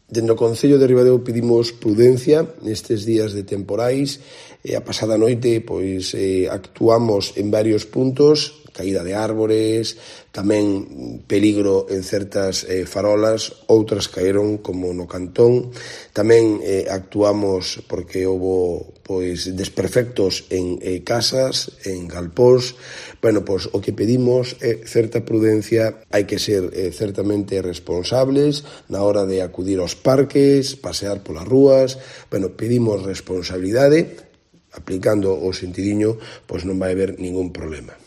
Dende o Concello de Ribadeo pedimos prudencia nestes días de temporais. A pasada noite actuamos en varios puntos, caída de árbores, tamén peligro en certas farolas, outras caeron como no Cantón. Tamén actuamos porque houbo desperfectos en casas, en galpóns. O que pedimos é certa prudencia, hai que ser certamente responsables na hora de acudir aos parques, pasear polas rúas. Pedimos responsabilidade, aplicando o sentidiño, non vai haber ningún problema.